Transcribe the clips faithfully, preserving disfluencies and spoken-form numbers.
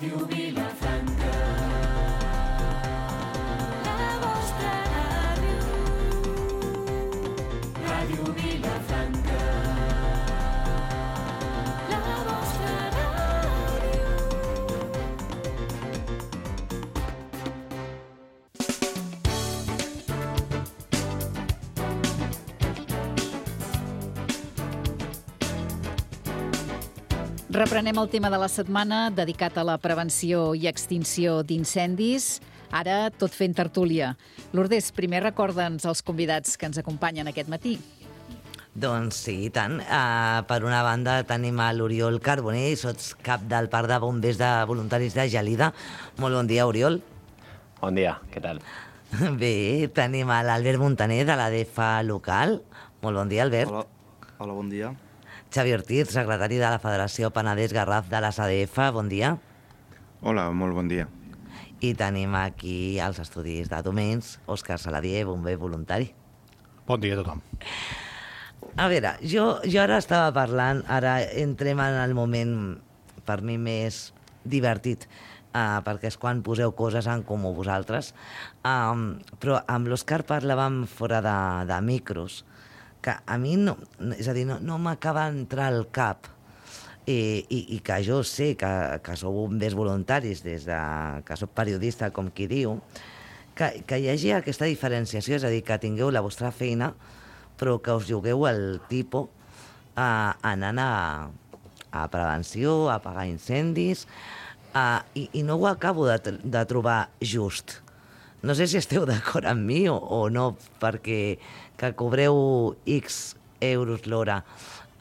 Ràdio Vilafranca. La vostra ràdio. Ràdio Vilafranca. La vostra ràdio. Reprenem el tema de la setmana dedicat a la prevenció i extinció d'incendis. Ara, tot fent tertúlia. Lourdes, primer recorda'ns els convidats que ens acompanyen aquest matí. Doncs sí, i tant. Uh, per una banda tenim a l'Oriol Carbonell, sots cap del Parc de Bombers de Voluntaris de Gelida. Molt bon dia, Oriol. Bon dia, què tal? Bé, tenim a l'Albert Montaner de l'A D F A local. Molt bon dia, Albert. Hola, hola, bon dia. Xavi Ortiz, secretari de la Federació Penedès Garraf de les A D F, bon dia. Hola, molt bon dia. I tenim aquí als estudis de Domens, Òscar Saladier, bomber voluntari. Bon dia a tothom. A veure, jo, jo ara estava parlant, ara entrem en el moment per mi més divertit, uh, perquè és quan poseu coses en comú vosaltres, um, però amb l'Òscar parlàvem fora de, de micros, que a mi no, és a dir, no, no m'acaba d'entrar al cap, i, i, i que jo sé que, que sou bombers voluntaris, des de, que sóc periodista, com qui diu, que, que hi hagi aquesta diferenciació, és a dir, que tingueu la vostra feina, però que us jugueu el tipus eh, anant a, a prevenció, a apagar incendis, eh, i, i no ho acabo de, de trobar just. No sé si esteu d'acord amb mi o, o no, perquè que cobreu X euros l'hora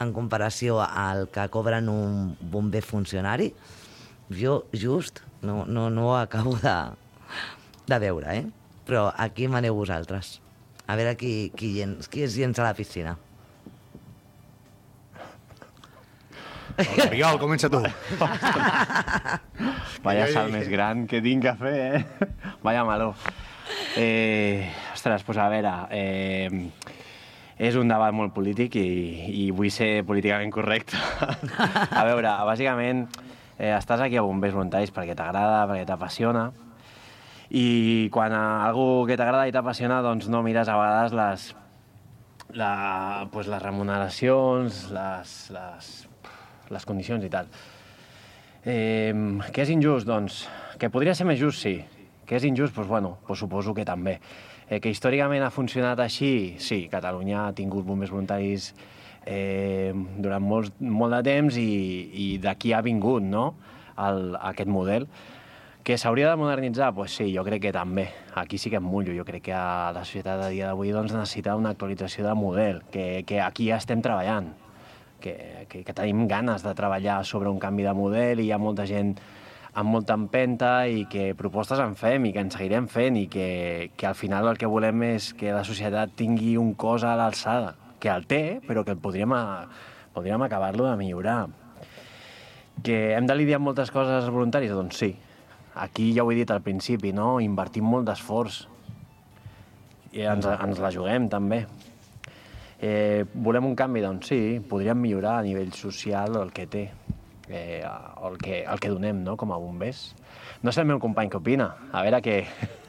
en comparació al que cobren un bomber funcionari, jo just no, no, no ho acabo de, de veure, eh? Però aquí maneu vosaltres. A veure qui, qui, qui es llença a la piscina. Oriol, comença tu. Vaya salt més gran que tinc a fer, eh? Vaya maló. Eh, ostres, doncs a veure, eh, és un debat molt polític i, i vull ser políticament correcte. A veure, bàsicament, eh, estàs aquí a Bombers Voluntaris perquè t'agrada, perquè t'apassiona, i quan a algú que t'agrada i t'apassiona, doncs no mires a vegades les, la, pues les remuneracions, les, les, les condicions i tal. Eh, què és injust? Doncs que podria ser més just, sí. Que és injust? Doncs bueno, doncs suposo que també. Eh, que històricament ha funcionat així? Sí, Catalunya ha tingut bombers voluntaris eh, durant molt, molt de temps i, i d'aquí ha vingut, no?, el, aquest model. Que s'hauria de modernitzar? Doncs sí, jo crec que també. Aquí sí que em mullo. Jo crec que la societat a dia d'avui doncs, necessita una actualització de model, que, que aquí ja estem treballant, que, que, que tenim ganes de treballar sobre un canvi de model i hi ha molta gent amb molta empenta i que propostes en fem i que en seguirem fent i que, que al final el que volem és que la societat tingui un cos a l'alçada, que el té, però que podríem, a, podríem acabar-lo de millorar. Que hem de lidiar amb moltes coses als voluntaris? Doncs sí. Aquí ja ho he dit al principi, no? Invertim molt d'esforç i ens, ens la juguem també. Eh, volem un canvi? Doncs sí, podríem millorar a nivell social el que té, eh, el, que, el que donem, no?, com a bombers. No sé el meu company què opina, a veure què...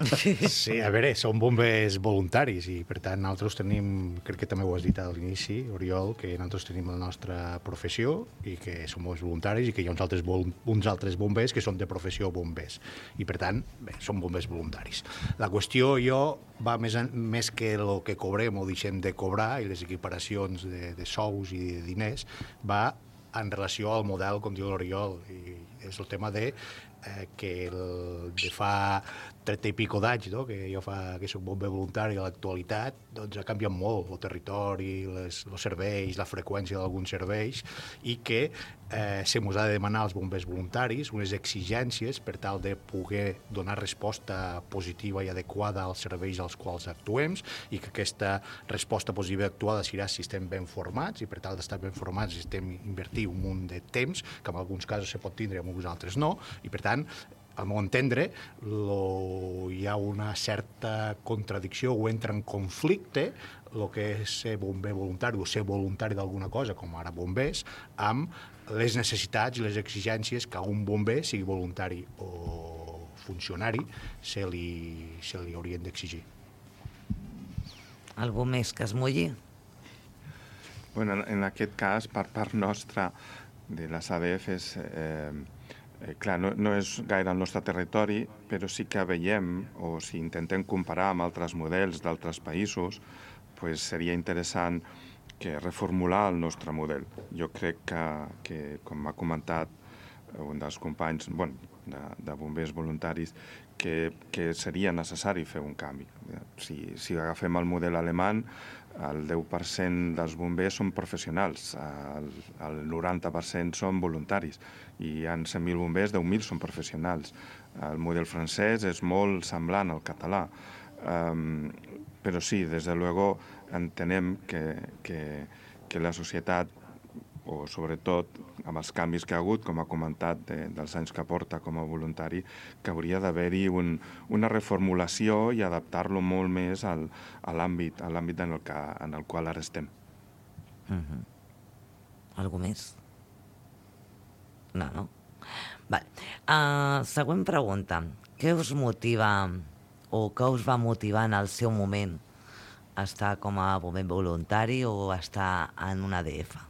Sí, a veure, som bombers voluntaris i, per tant, nosaltres tenim, crec que també ho has dit a l'inici, Oriol, que nosaltres tenim la nostra professió i que som bombers voluntaris i que hi ha uns altres, uns altres bombers que són de professió bombers. I, per tant, bé, som bombers voluntaris. La qüestió, jo, va més, en, més que el que cobrem o deixem de cobrar i les equiparacions de, de sous i de diners, va en relació al model, com diu l'Oriol, i és el tema de eh, que el, de fa trenta i pico d'anys, no?, que jo fa que soc bomber voluntari a l'actualitat, doncs ha canviat molt el territori, les, els serveis, la freqüència d'alguns serveis, i que eh, se mos ha de demanar als bombers voluntaris unes exigències per tal de poder donar resposta positiva i adequada als serveis als quals actuem, i que aquesta resposta positiva i actuada serà si estem ben formats, i per tal d'estar ben formats estem invertir un munt de temps, que en alguns casos se pot tindre i en alguns altres no, i per tant al meu entendre, lo, hi ha una certa contradicció o entra en conflicte el que és ser bomber voluntari o ser voluntari d'alguna cosa, com ara bombers, amb les necessitats i les exigències que a un bomber, sigui voluntari o funcionari, se li, se li haurien d'exigir. Algú més que es mulli? Bueno, en aquest cas, per part nostra, de les A D Fs, eh, eh, clar, no, no és gaire el nostre territori, però sí que veiem, o si intentem comparar amb altres models d'altres països, pues seria interessant que reformular el nostre model. Jo crec que, que com ha comentat un dels companys bueno, de, de bombers voluntaris, que, que seria necessari fer un canvi. Si, si agafem el model alemany, el deu per cent dels bombers són professionals, el, el noranta per cent són voluntaris, i hi ha cent mil bombers, deu mil són professionals. El model francès és molt semblant al català, um, però sí, des de luego entenem que, que, que la societat, o sobretot amb els canvis que ha hagut, com ha comentat, de, dels anys que porta com a voluntari, que hauria d'haver-hi un, una reformulació i adaptar-lo molt més al, a l'àmbit a l'àmbit en, el que, en el qual ara estem. Uh-huh. Algú més? No, no? Vale. Uh, següent pregunta. Què us motiva o què us va motivar en el seu moment a estar com a bomber voluntari o a estar en una A D F?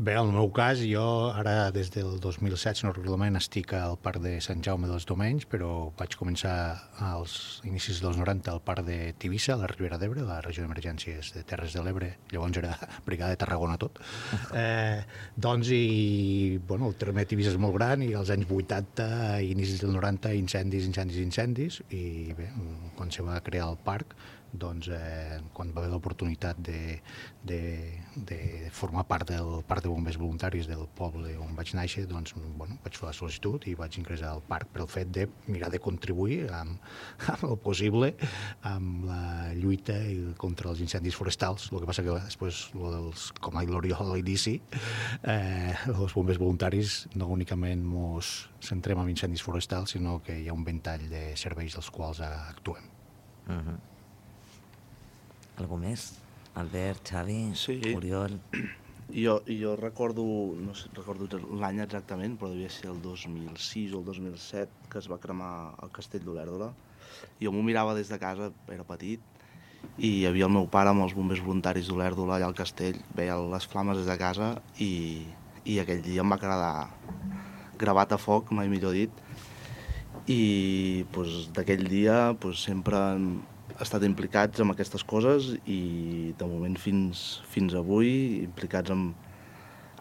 Bé, en el meu cas, jo ara des del dos mil set, si no recordo malament, estic al Parc de Sant Jaume dels Domenys, però vaig començar als inicis dels noranta al Parc de Tivissa, a la Ribera d'Ebre, la regió d'emergències de Terres de l'Ebre, llavors era Brigada de Tarragona tot. Eh, doncs, i, bueno, el terme de Tivissa és molt gran, i als anys vuitanta, i inicis del noranta, incendis, incendis, incendis, i bé, quan se va crear el parc, doncs, eh, quan va haver l'oportunitat de, de, de formar part del parc de bombers voluntaris del poble on vaig néixer, doncs, bueno, vaig fer la sol·licitud i vaig ingressar al parc per el fet de mirar de contribuir amb, amb el possible amb la lluita contra els incendis forestals. El que passa que després, dels, com ha dit l'Oriol a l'inici, eh, els bombers voluntaris no únicament ens centrem en incendis forestals, sinó que hi ha un ventall de serveis dels quals actuem. Uh-huh. Algú més? Albert, Xavi, sí. Oriol? Jo, jo recordo, no sé, recordo l'any exactament, però devia ser el dos mil sis o el dos mil set que es va cremar el castell d'Olèrdola. Jo m'ho mirava des de casa, era petit, i hi havia el meu pare amb els bombers voluntaris d'Olèrdola allà al castell, veia les flames des de casa i, i aquell dia em va quedar gravat a foc, mai millor dit, i pues, d'aquell dia pues, sempre hem estat implicats en aquestes coses i de moment fins, fins avui implicats amb,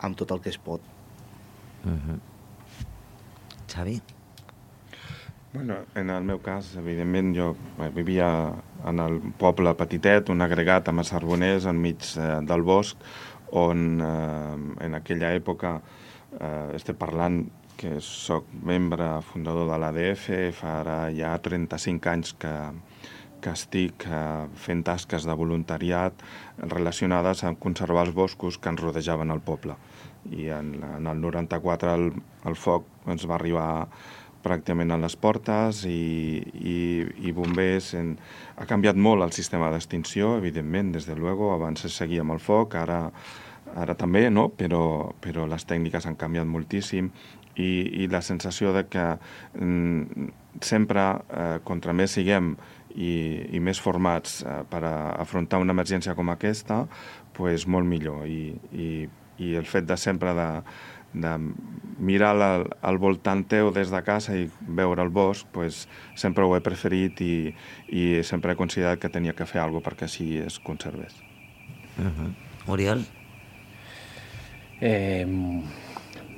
amb tot el que es pot. Uh-huh. Xavi? Bueno, en el meu cas, evidentment, jo vivia en el poble petitet, un agregat amb els Arboners enmig eh, del bosc, on eh, en aquella època, eh, estic parlant que soc membre fundador de l'A D F, fa ara ja trenta-cinc anys que que estic eh, fent tasques de voluntariat relacionades amb conservar els boscos que ens rodejaven el poble. I en, en el noranta-quatre el, el foc ens va arribar pràcticament a les portes i, i, i bombers... En, ha canviat molt el sistema d'extinció, evidentment, des de luego, abans es seguia amb el foc, ara, ara també, no? però, però les tècniques han canviat moltíssim i, i la sensació de que mm, sempre, eh, contra més siguem i, i més formats eh, per a afrontar una emergència com aquesta, pues molt millor. I, i, i el fet de sempre de, de mirar al, al voltant teu des de casa i veure el bosc, pues sempre ho he preferit i, i sempre he considerat que tenia que fer alguna cosa perquè així es conservés. Uh-huh. Oriol? Eh,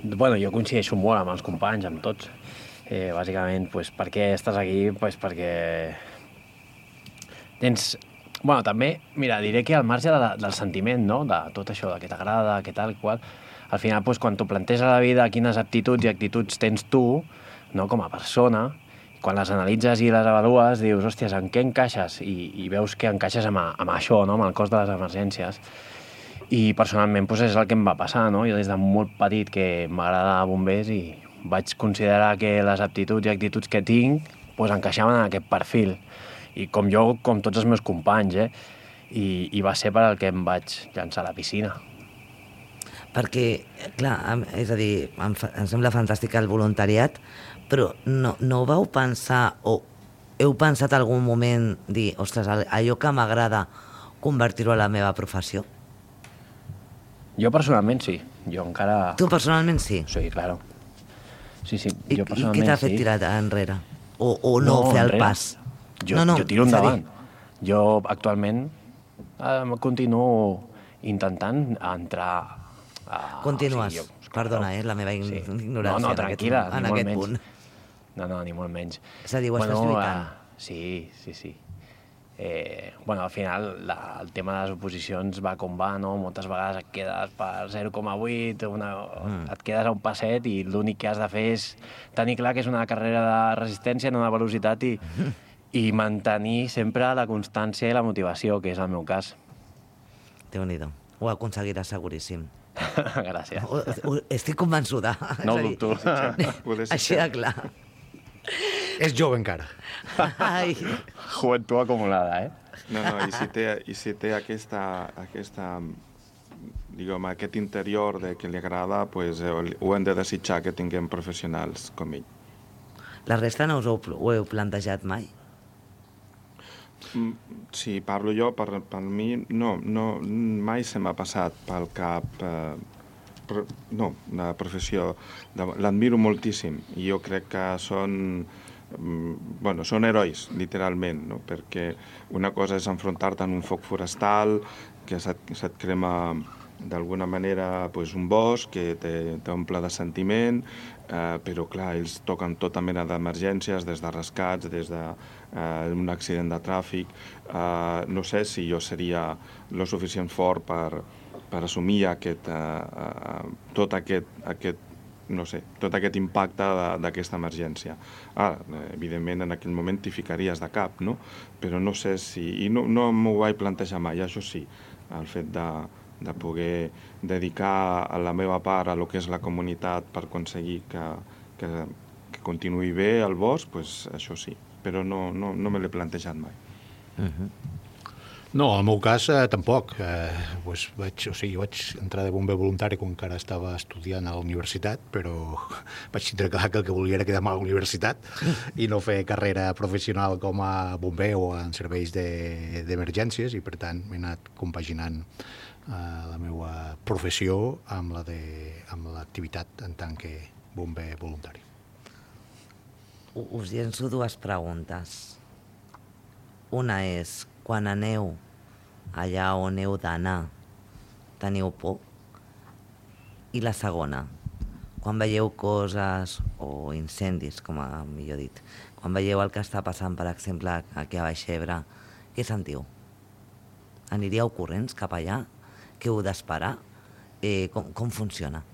bueno, jo coincideixo molt amb els companys, amb tots. Eh, bàsicament, pues, per què estàs aquí? Pues perquè tens... Bueno, també, mira, diré que al marge de la, del sentiment, no?, de tot això, de què t'agrada, què tal, qual, al final, pues, quan t'ho planteges a la vida, quines aptituds i actituds tens tu, no?, com a persona, quan les analitzes i les avalues, dius, hòsties, en què encaixes? I, i veus que encaixes amb, amb això, no?, amb el cos de les emergències. I personalment, pues, és el que em va passar, no? Jo des de molt petit que m'agrada bombers i vaig considerar que les aptituds i actituds que tinc pues, encaixaven en aquest perfil. I com jo, com tots els meus companys, eh? I, i va ser per al que em vaig llançar a la piscina. Perquè, clar, em- és a dir, em, fa, em sembla fantàstic el voluntariat, però no, no vau pensar o heu pensat algun moment dir, ostres, al- allò que m'agrada convertir-ho a la meva professió? Jo personalment sí. Jo encara... Tu personalment sí. Sí, claro. Sí, sí, I, jo i personalment què t'ha fet sí. tirar enrere? O, o no, no fer el enrere. pas? Jo, no, no, jo tiro és a dir, endavant. Jo actualment eh, continuo intentant entrar... A, Continues. o sigui, Perdona, eh, la meva ign- ignorància No, no, en aquest- tranquil·la, en ni molt aquest menys. punt. No, no, ni molt menys. És a dir, ho estàs lluitant. eh, sí, sí, sí. Eh, bueno, al final la, el tema de les oposicions va com va, no? Moltes vegades et quedes per zero coma vuit, una, mm. et quedes a un passet i l'únic que has de fer és tenir clar que és una carrera de resistència, no de velocitat, i, i mantenir sempre la constància i la motivació, que és el meu cas. Déu-n'hi-do. Ho aconseguiràs seguríssim. Gràcies. Ho, ho, estic convençuda. No ho És a dir, dubto. Poder ser Així de clar. És jove encara. Ai, Juventud acumulada, eh? No, no, i si té, i si té aquesta, aquesta, diguem, aquest interior de que li agrada, pues, eh, ho hem de desitjar que tinguem professionals com ell. la resta no us ho, ho heu plantejat mai? Mm, Si parlo jo, per, per mi, no, no, mai se m'ha passat pel cap, eh, pro, no, la professió, de, l'admiro moltíssim, i jo crec que són, mm, bueno, són herois, literalment, no? Perquè una cosa és enfrontar-te en un foc forestal, que se't, se't crema d'alguna manera pues, un bosc que t'omple de sentiment, eh, però clar, ells toquen tota mena d'emergències, des de rescats, des d'un eh, accident de tràfic. Eh, no sé si jo seria lo suficient fort per, per assumir aquest, eh, eh, tot aquest, aquest no sé, tot aquest impacte d'aquesta emergència. Ara, evidentment, en aquell moment t'hi ficaries de cap, no? Però no sé si... I no, no m'ho vaig plantejar mai, això sí, el fet de, de poder dedicar a la meva part a lo que és la comunitat per aconseguir que, que, que continuï bé el bosc, pues, això sí, però no, no, no me l'he plantejat mai. Uh-huh. No, en el meu cas eh, tampoc. Eh, pues vaig, o sigui, vaig entrar de bomber voluntari quan encara estava estudiant a la universitat, però vaig tindre clar que el que volia era quedar-me a la universitat i no fer carrera professional com a bomber o en serveis de- d'emergències, i per tant m'he anat compaginant eh, la meva professió amb la de- amb l'activitat en tant que bomber voluntari. U- Us llenço dues preguntes. Una és, quan aneu allà on heu d'anar, teniu por? I la segona, quan veieu coses o incendis, com a millor dit, quan veieu el que està passant, per exemple, aquí a Baix Ebre, què sentiu? Aniríeu corrents cap allà? Què heu d'esperar? Eh, com, com funciona?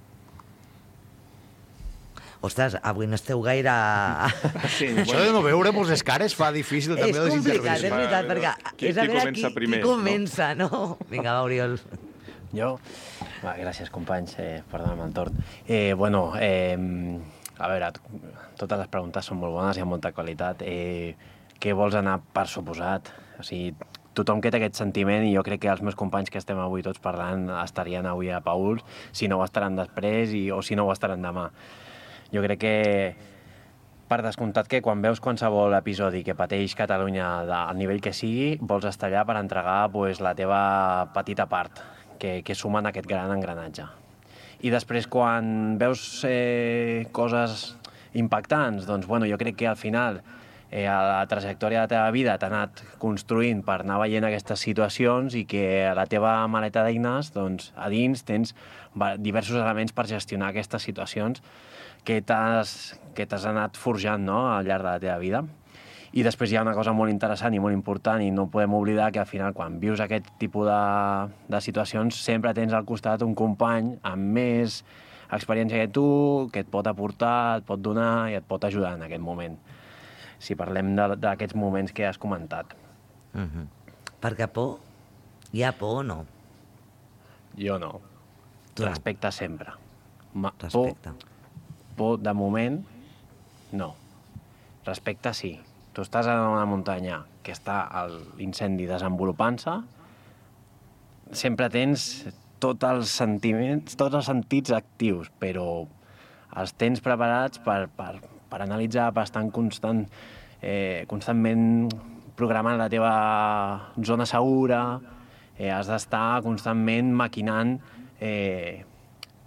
Ostres, avui no esteu gaire... Sí, Això de no veure molts les cares fa difícil també És les complicat, és intervencions. veritat, Va, perquè qui- és a qui veure comença qui, primer, qui no? comença, no? Vinga, va, Oriol. Jo? Va, gràcies, companys, eh, perdona'm el torn. Eh, bueno, eh, a veure, t- totes les preguntes són molt bones i amb molta qualitat. Eh, què vols anar per suposat? O sigui, tothom que té aquest sentiment, i jo crec que els meus companys que estem avui tots parlant estarien avui a Pauls, si no ho estaran després i, o si no ho estaran demà. Jo crec que, per descomptat, que quan veus qualsevol episodi que pateix Catalunya de, al nivell que sigui, vols estar allà per entregar pues, la teva petita part, que, que suma en aquest gran engranatge. I després, quan veus eh, coses impactants, doncs, bueno, jo crec que al final eh, a la trajectòria de la teva vida t'ha anat construint per anar veient aquestes situacions, i que a la teva maleta d'eines, doncs, a dins tens va- diversos elements per gestionar aquestes situacions que t'has que t'has anat forjant, no?, al llarg de la teva vida. I després hi ha una cosa molt interessant i molt important, i no podem oblidar que al final, quan vius aquest tipus de, de situacions, sempre tens al costat un company amb més experiència que tu, que et pot aportar, et pot donar i et pot ajudar en aquest moment. Si parlem de- d'aquests moments que has comentat. Uh -huh. Perquè por? Hi ha por o no? Jo no. Tu no. Respecte sempre. Ma, Respecte. Por, por, de moment, no. Respecte, sí. Tu estàs en una muntanya que està l'incendi desenvolupant-se, sempre tens tots els sentiments, tots els sentits actius, però els tens preparats per, per, per analitzar, per estar en constant, eh, constantment programant la teva zona segura, eh, has d'estar constantment maquinant eh,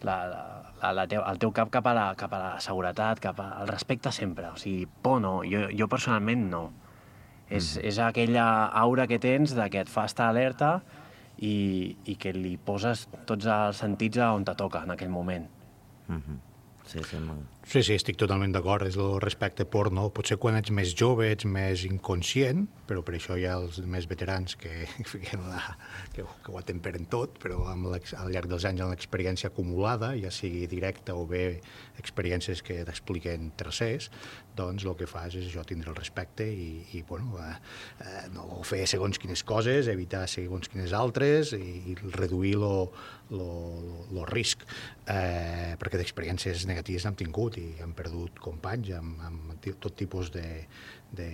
la, la, la teu, el teu cap cap a, la, cap a la seguretat, cap al respecte sempre. O sigui, por no, jo, jo personalment no. És, és aquella aura que tens de que et fa estar alerta i, i que li poses tots els sentits a on te toca en aquell moment. Mhm. Sí, sí, molt. Sí, sí, estic totalment d'acord, és el respecte por, no? Potser quan ets més jove ets més inconscient, però per això hi ha els més veterans que, la, que, que ho atemperen tot, però amb al llarg dels anys amb l'experiència acumulada, ja sigui directa o bé experiències que t'expliquen tercers, doncs el que fas és això, tindre el respecte i, i bueno, eh, eh, no fer segons quines coses, evitar segons quines altres i, i reduir lo, lo, lo, lo risc, eh, perquè d'experiències negatives n'hem tingut i hem perdut companys amb, amb tot tipus de, de,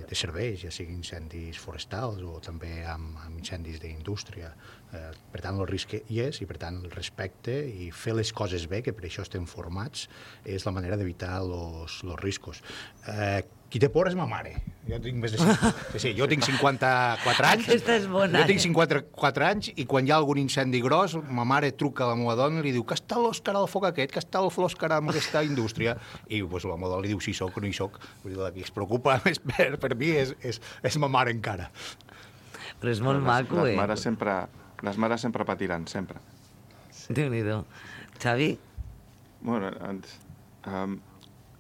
de serveis, ja siguin incendis forestals o també amb, amb incendis d'indústria. Eh, per tant, el risc hi és i, per tant, el respecte i fer les coses bé, que per això estem formats, és la manera d'evitar els riscos. Eh, qui té por és ma mare. Jo tinc més de cinquanta... Sí, jo tinc cinquanta-quatre anys. Aquesta és bona. Jo tinc cinquanta-quatre anys i quan hi ha algun incendi gros, ma mare truca a la meva dona i li diu que està l'Òscar al foc aquest, que està l'Òscar amb aquesta indústria. I pues, la meva dona li diu si soc o no hi soc. Vull dir, la que es preocupa més per, per mi és, és, és ma mare encara. Però és molt les, maco, les eh? Mares sempre, les mares sempre patiran, sempre. Déu-n'hi-do. Xavi? Bueno, ens, um,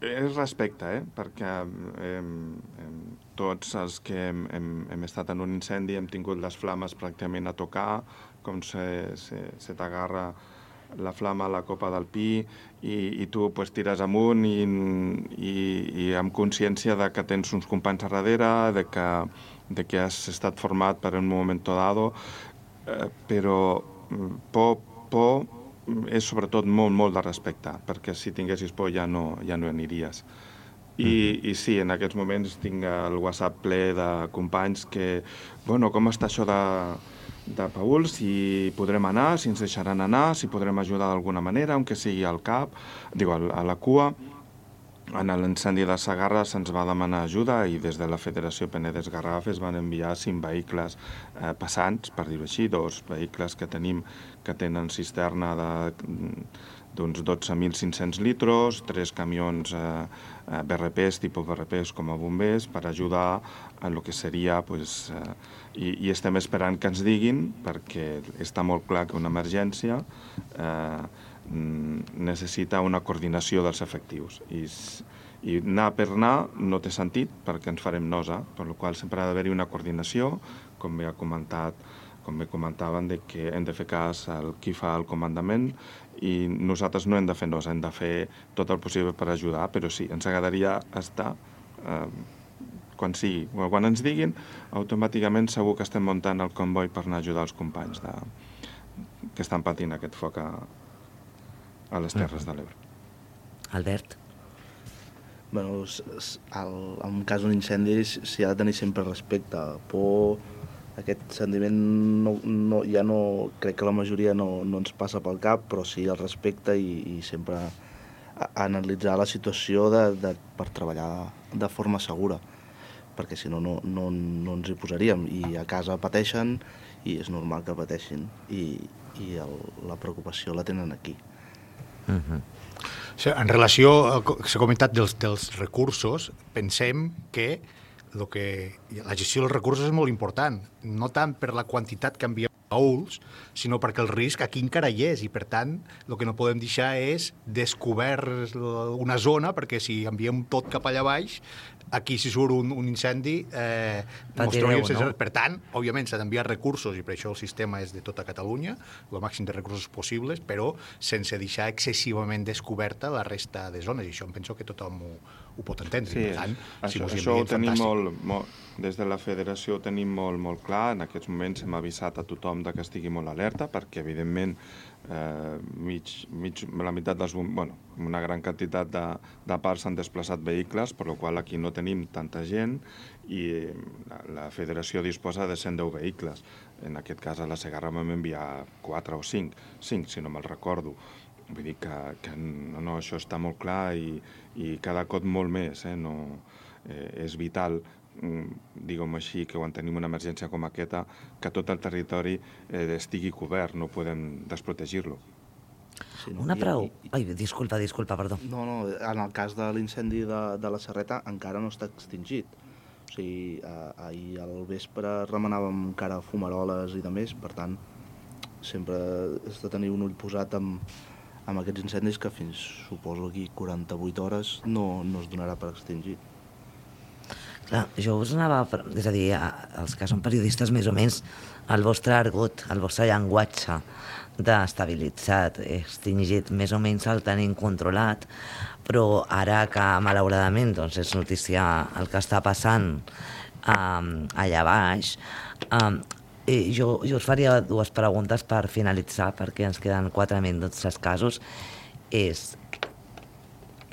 és respecte, eh? Perquè eh, eh, tots els que hem, hem, hem estat en un incendi hem tingut les flames pràcticament a tocar, com se, se, se t'agarra la flama a la copa del pi i, i tu pues, tires amunt i, i, i amb consciència de que tens uns companys a darrere, de que, de que has estat format per un moment dado, eh, però por, por és sobretot molt, molt de respecte, perquè si tinguessis por ja no, ja no aniries. I, mm-hmm. I sí, en aquests moments tinc el WhatsApp ple de companys que, bueno, com està això de, de Paül, si podrem anar, si ens deixaran anar, si podrem ajudar d'alguna manera, aunque sigui al cap, digo, a la cua. En l'incendi de Segarra se'ns va demanar ajuda i des de la Federació Penedès Garraf es van enviar cinc vehicles eh, passants, per dir-ho així, dos vehicles que tenim que tenen cisterna d'uns dotze mil cinc-cents litres, tres camions eh, eh, B R Ps, tipus B R Ps com a bombers, per ajudar en el que seria... Pues, eh, i, I estem esperant que ens diguin, perquè està molt clar que una emergència eh, necessita una coordinació dels efectius. I, i anar per anar no té sentit perquè ens farem nosa, per la qual sempre ha d'haver-hi una coordinació, com bé ha comentat, com bé comentaven, de que hem de fer cas al qui fa el comandament i nosaltres no hem de fer nosa, hem de fer tot el possible per ajudar, però sí, ens agradaria estar eh, quan sigui, quan ens diguin, automàticament segur que estem muntant el comboi per anar a ajudar els companys de, que estan patint aquest foc a a les Terres de l'Ebre. Albert? Bueno, el, en cas d'un incendi s'hi ha de tenir sempre respecte. Por, aquest sentiment no, no, ja no, crec que la majoria no, no ens passa pel cap, però sí el respecte i, i sempre a, a analitzar la situació de, de, per treballar de forma segura, perquè si no, no, no, no ens hi posaríem. I a casa pateixen i és normal que pateixin i, i el, la preocupació la tenen aquí. Uh-huh. En relació, s'ha comentat dels, dels recursos, pensem que, lo que la gestió dels recursos és molt important, no tant per la quantitat que enviem baúls, sinó perquè el risc aquí encara hi és i, per tant, el que no podem deixar és descobert una zona, perquè si enviem tot cap allà baix, aquí si surt un, un incendi eh, Patireu, no? Per tant, òbviament s'ha d'enviar recursos i per això el sistema és de tota Catalunya, el màxim de recursos possibles, però sense deixar excessivament descoberta la resta de zones, i això em penso que tothom ho, ho pot entendre. Sí, per tant, això, si això ho tenim molt, molt, des de la federació ho tenim molt, molt clar. En aquests moments hem avisat a tothom tothom de que estigui molt alerta, perquè, evidentment, eh, mig, mig, la meitat dels bombers, bueno, una gran quantitat de, de parts s'han desplaçat vehicles, per la qual aquí no tenim tanta gent i la, la federació disposa de cent deu vehicles. En aquest cas, a la Segarra vam enviar quatre o cinc, cinc, si no me'l recordo. Vull dir que, que no, no, això està molt clar i, i cada cop molt més. Eh? No, eh, és vital, diguem així, que quan tenim una emergència com aquesta, que tot el territori eh, estigui cobert, no podem desprotegir-lo. Sí, no? Una I- pregunta... i- Ai, disculpa, disculpa, perdó. No, no, en el cas de l'incendi de, de la Serreta encara no està extingit. O sigui, eh, ahir al vespre remenàvem encara fumaroles i de més, per tant, sempre has de tenir un ull posat amb, amb aquests incendis que fins, suposo, aquí quaranta-vuit hores no, no es donarà per extingit. Clar, jo us anava... a- És a dir, a- els que són periodistes, més o menys, el vostre argot, el vostre llenguatge d'estabilitzat, extingit, més o menys el tenim controlat, però ara que, malauradament, doncs, és notícia el que està passant um, allà baix, um, eh, jo, jo us faria dues preguntes per finalitzar, perquè ens queden quatre minuts escassos. És,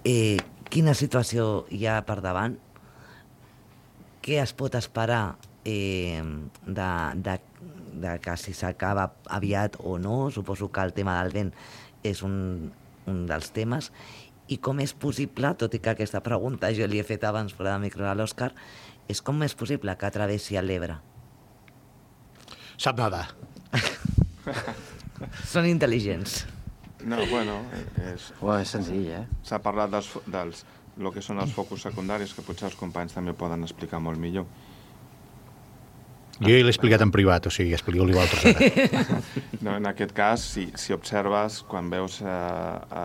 eh, quina situació hi ha per davant? Què es pot esperar eh, de, de, de que si s'acaba aviat o no? Suposo que el tema del vent és un, un dels temes. I com és possible, tot i que aquesta pregunta jo li he fet abans fora de micro a l'Òscar, és com és possible que travessi l'Ebre? Sap nada. Són intel·ligents. No, bueno, és, Bueno, és senzill, eh? s'ha parlat dels, fo- dels el que són els focus secundaris, que potser els companys també poden explicar molt millor. Jo ja l'he explicat en privat, o sigui, explico-li vosaltres ara. No, en aquest cas, si, si observes, quan veus eh,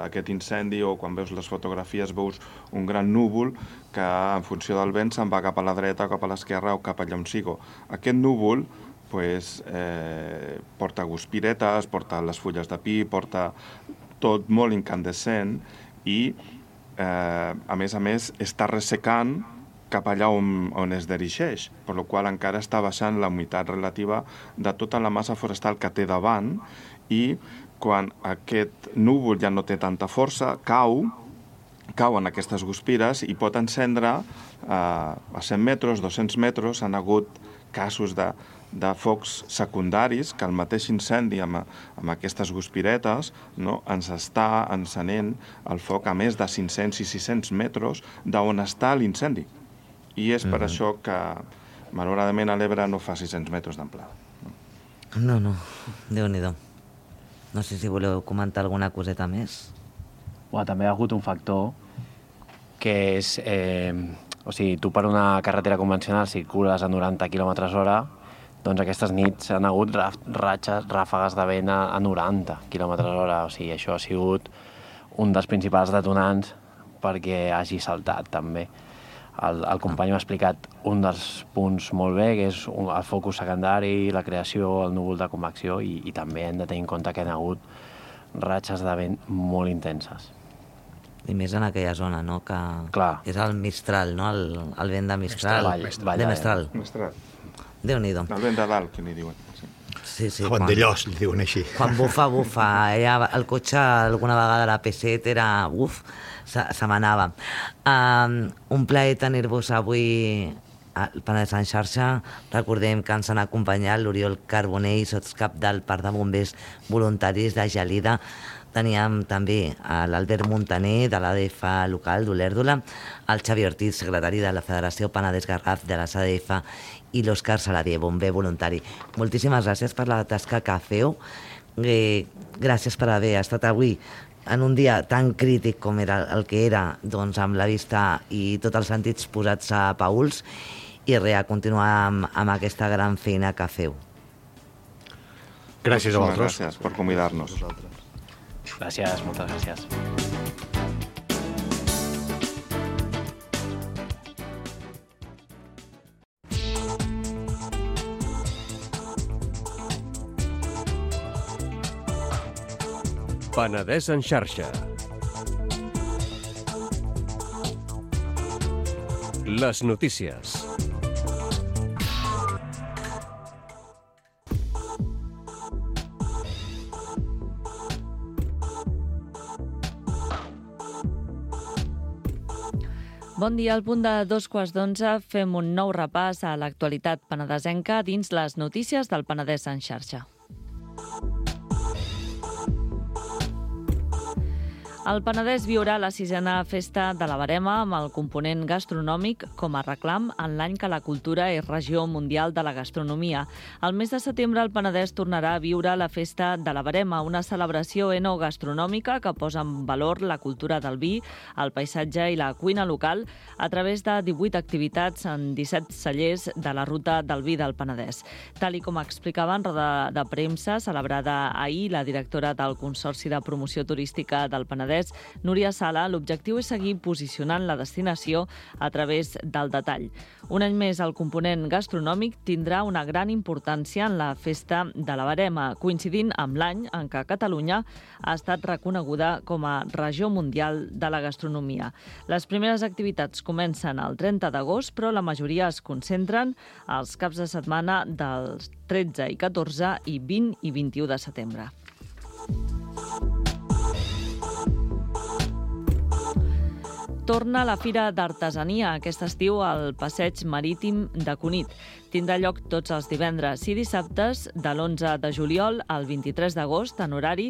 aquest incendi o quan veus les fotografies, veus un gran núvol que, en funció del vent, se'n va cap a la dreta, cap a l'esquerra o cap allà on sigo. Aquest núvol pues, eh, porta guspiretes, porta les fulles de pi, porta tot molt incandescent i, eh, a més a més, està ressecant cap allà on, on es dirigeix, per la qual encara està baixant la humitat relativa de tota la massa forestal que té davant i quan aquest núvol ja no té tanta força, cau, cauen aquestes guspires i pot encendre eh, a cent metres, dos-cents metres, han hagut casos de, de focs secundaris que el mateix incendi amb, amb aquestes guspiretes, no, ens està encenent el foc a més de cinc-cents i sis-cents metres d'on està l'incendi. I és per Mhm. això que, malauradament, a l'Ebre no fa sis-cents metres d'amplada. No, no, Déu-n'hi-do. No sé si voleu comentar alguna coseta més. Bueno, també hi ha hagut un factor que és... Eh, o sigui, tu per una carretera convencional circules a noranta quilòmetres hora, doncs aquestes nits han hagut raf, ratxes, ràfegues de vent a, a noranta quilòmetres hora. O sigui, això ha sigut un dels principals detonants perquè hagi saltat, també. El, el company m'ha explicat un dels punts molt bé, que és un, el focus secundari, la creació, el núvol de convecció, i, i també hem de tenir en compte que hi ha hagut ratxes de vent molt intenses. I més en aquella zona, no? Que Clar. és el Mistral, no? El, el vent de Mistral. Vall, Vall de de- Mistral. Mestral. Déu-n'hi-do. El vent de dalt, que n'hi diuen. Sí. Sí, sí. Juan de Llos, li diuen així. Quan bufa, bufa. Ella, el cotxe, alguna vegada la P set era... Uf, se, se m'anava. Um, un plaer tenir-vos avui al Penedès en xarxa. Recordem que ens han acompanyat l'Oriol Carbonell, sotscap del Parc de Bombers Voluntaris de Gelida. Teníem també a l'Albert Montaner, de l'A D F local d'Olèrdola, el Xavi Ortiz, secretari de la Federació Penedès Garraf de les A D F, i l'Òscar Saladier, bomber voluntari. Moltíssimes gràcies per la tasca que feu. Eh, gràcies per haver estat avui en un dia tan crític com era el que era, doncs, amb la vista i tots els sentits posats a pauls, i res, a continuar amb, amb aquesta gran feina que feu. Gràcies a Moltíssimes vosaltres. Gràcies per convidar-nos. Gràcies, moltes gràcies. Penedès en xarxa. Les notícies. Bon dia, al punt de dos quarts d'onze fem un nou repàs a l'actualitat penedesenca dins les notícies del Penedès en xarxa. El Penedès viurà la sisena festa de la Verema amb el component gastronòmic com a reclam en l'any que la cultura és regió mundial de la gastronomia. Al mes de setembre el Penedès tornarà a viure la festa de la Verema, una celebració enogastronòmica que posa en valor la cultura del vi, el paisatge i la cuina local a través de divuit activitats en disset cellers de la ruta del vi del Penedès. Tal i com explicava en roda de premsa celebrada ahir la directora del Consorci de Promoció Turística del Penedès, Núria Sala, l'objectiu és seguir posicionant la destinació a través del detall. Un any més, el component gastronòmic tindrà una gran importància en la festa de la Verema, coincidint amb l'any en què Catalunya ha estat reconeguda com a regió mundial de la gastronomia. Les primeres activitats comencen el trenta d'agost, però la majoria es concentren als caps de setmana dels tretze i catorze i vint i vint-i-u de setembre. Torna la Fira d'Artesania aquest estiu al Passeig Marítim de Cunit. Tindrà lloc tots els divendres i dissabtes de l'onze de juliol al vint-i-tres d'agost en horari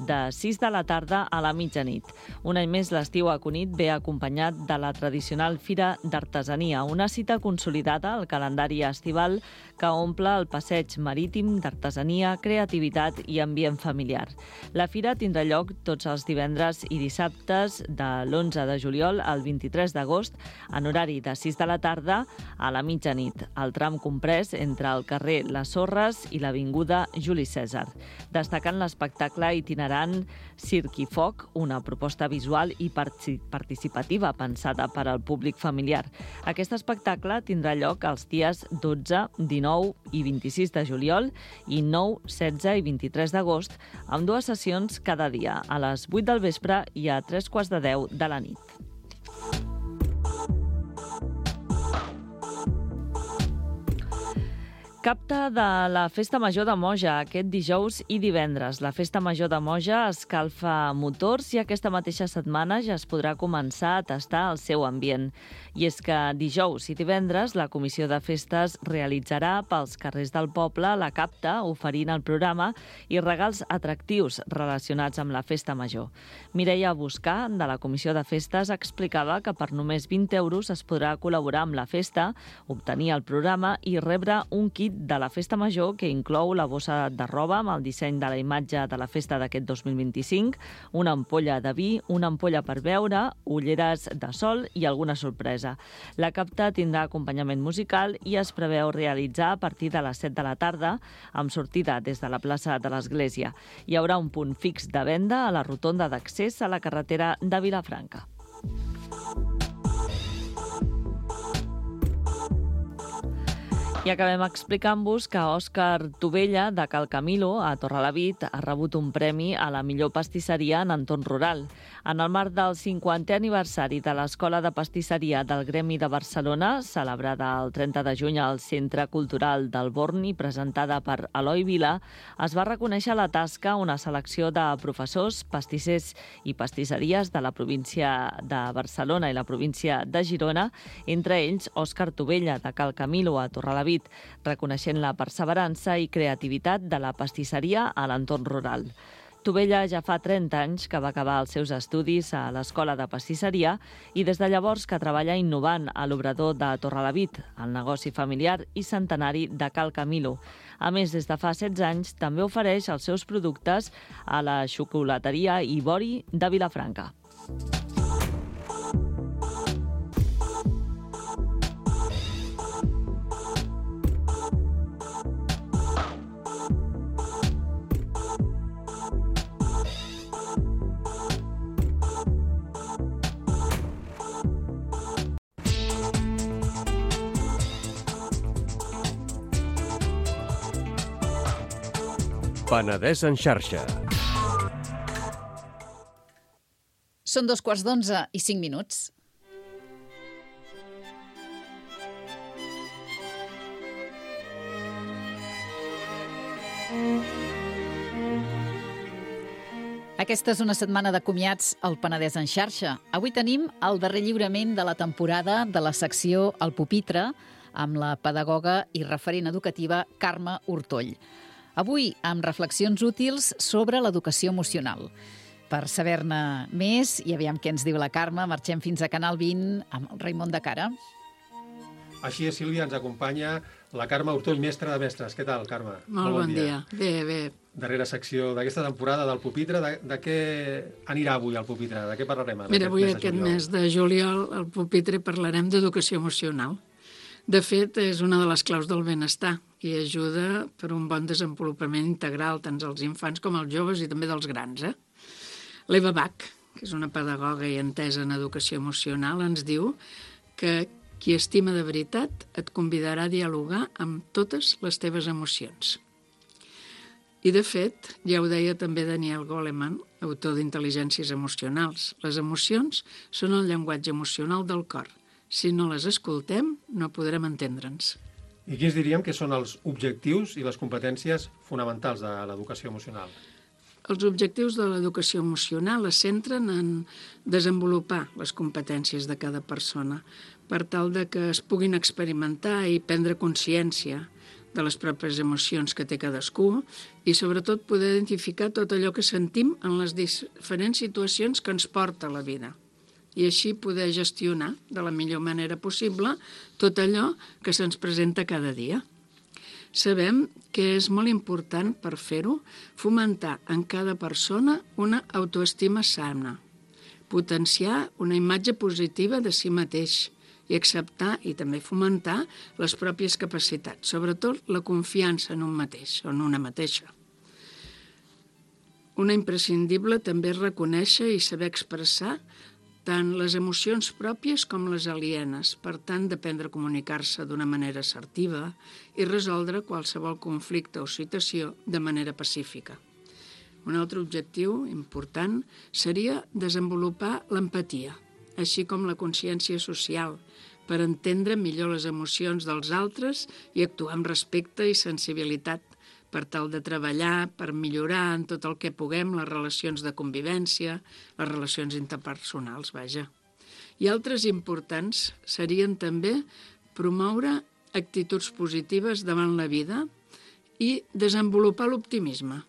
de sis de la tarda a la mitjanit. Un any més l'estiu a Cunit ve acompanyat de la tradicional Fira d'Artesania, una cita consolidada al calendari estival que omple el Passeig Marítim d'Artesania, creativitat i ambient familiar. La fira tindrà lloc tots els divendres i dissabtes de l'onze de juliol al vint-i-tres d'agost en horari de sis de la tarda a la mitjanit, al tram comprès entre el carrer Les Sorres i l'avinguda Juli Cèsar, destacant l'espectacle itinerant Circ i Foc, una proposta visual i participativa pensada per al públic familiar. Aquest espectacle tindrà lloc els dies dotze, dinou i vint-i-sis de juliol i nou, setze i vint-i-tres d'agost, amb dues sessions cada dia, a les vuit del vespre i a tres quarts de deu de la nit. Capta de la Festa Major de Moja aquest dijous i divendres. La Festa Major de Moja escalfa motors i aquesta mateixa setmana ja es podrà començar a tastar el seu ambient. I és que dijous i divendres la Comissió de Festes realitzarà pels carrers del poble la capta oferint el programa i regals atractius relacionats amb la Festa Major. Mireia Buscà, de la Comissió de Festes, explicava que per només vint euros es podrà col·laborar amb la festa, obtenir el programa i rebre un kit de la Festa Major que inclou la bossa de roba amb el disseny de la imatge de la festa d'aquest dos mil vint-i-cinc, una ampolla de vi, una ampolla per beure, ulleres de sol i alguna sorpresa. La capta tindrà acompanyament musical i es preveu realitzar a partir de les set de la tarda amb sortida des de la plaça de l'Església. Hi haurà un punt fix de venda a la rotonda d'accés a la carretera de Vilafranca. I acabem explicant-vos que Òscar Tovella, de Cal Camilo, a Torrelavit, ha rebut un premi a la millor pastisseria en entorn rural. En el marc del cinquantè aniversari de l'Escola de Pastisseria del Gremi de Barcelona, celebrada el trenta de juny al Centre Cultural del Born i presentada per Eloi Vila, es va reconèixer la tasca una selecció de professors, pastissers i pastisseries de la província de Barcelona i la província de Girona, entre ells Òscar Tovella, de Cal Camilo, a Torrelavit, reconeixent la perseverança i creativitat de la pastisseria a l'entorn rural. Tovella ja fa trenta anys que va acabar els seus estudis a l'Escola de Pastisseria i des de llavors que treballa innovant a l'obrador de Torrelavit, el negoci familiar i centenari de Cal Camilo. A més, des de fa setze anys també ofereix els seus productes a la xocolateria Ivori de Vilafranca. Penedès en xarxa. Són dos quarts d'onze i cinc minuts. Aquesta és una setmana de comiats al Penedès en xarxa. Avui tenim el darrer lliurament de la temporada de la secció El Pupitre amb la pedagoga i referent educativa Carme Hortoll. Avui amb reflexions útils sobre l'educació emocional. Per saber-ne més, i aviam què ens diu la Carme, marxem fins a Canal vint amb el Raimon de Cara. Així és, Sílvia, ens acompanya la Carme Hortoll, mestra de mestres. Què tal, Carme? Molt, Molt bon, bon dia. dia. Bé, bé. Darrera secció d'aquesta temporada del Pupitre. De, de què anirà avui el Pupitre? De què parlarem? Mira, avui aquest mes de juliol al Pupitre parlarem d'educació emocional. De fet, és una de les claus del benestar i ajuda per un bon desenvolupament integral tant als infants com als joves i també dels grans. Eh? L'Eva Bach, que és una pedagoga i entesa en educació emocional, ens diu que qui estima de veritat et convidarà a dialogar amb totes les teves emocions. I, de fet, ja ho deia també Daniel Goleman, autor d'Intel·ligències emocionals. Les emocions són el llenguatge emocional del cor. Si no les escoltem, no podrem entendre'ns. I quins diríem que són els objectius i les competències fonamentals de l'educació emocional? Els objectius de l'educació emocional es centren en desenvolupar les competències de cada persona per tal de que es puguin experimentar i prendre consciència de les pròpies emocions que té cadascú i, sobretot, poder identificar tot allò que sentim en les diferents situacions que ens porta la vida i així poder gestionar de la millor manera possible tot allò que se'ns presenta cada dia. Sabem que és molt important per fer-ho fomentar en cada persona una autoestima sana, potenciar una imatge positiva de si mateix i acceptar i també fomentar les pròpies capacitats, sobretot la confiança en un mateix o en una mateixa. Una imprescindible també és reconèixer i saber expressar tant les emocions pròpies com les alienes, per tant, d'aprendre a comunicar-se d'una manera assertiva i resoldre qualsevol conflicte o situació de manera pacífica. Un altre objectiu important seria desenvolupar l'empatia, així com la consciència social, per entendre millor les emocions dels altres i actuar amb respecte i sensibilitat, per tal de treballar, per millorar en tot el que puguem les relacions de convivència, les relacions interpersonals, vaja. I altres importants serien també promoure actituds positives davant la vida i desenvolupar l'optimisme,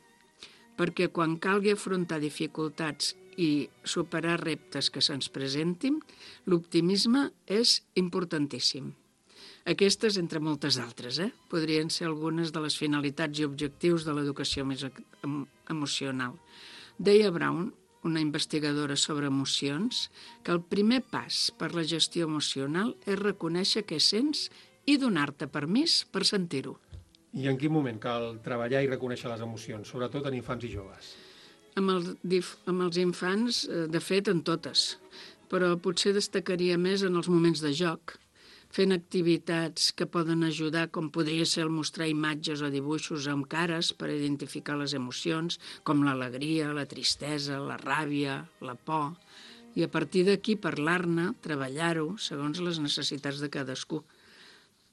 perquè quan calgui afrontar dificultats i superar reptes que se'ns presentin, l'optimisme és importantíssim. Aquestes, entre moltes altres, eh? podrien ser algunes de les finalitats i objectius de l'educació més emocional. Deia Brown, una investigadora sobre emocions, que el primer pas per la gestió emocional és reconèixer què sents i donar-te permís per sentir-ho. I en quin moment cal treballar i reconèixer les emocions, sobretot en infants i joves? Amb els, amb els infants, de fet, en totes, però potser destacaria més en els moments de joc, fent activitats que poden ajudar, com podria ser el mostrar imatges o dibuixos amb cares per identificar les emocions, com l'alegria, la tristesa, la ràbia, la por, i a partir d'aquí parlar-ne, treballar-ho, segons les necessitats de cadascú.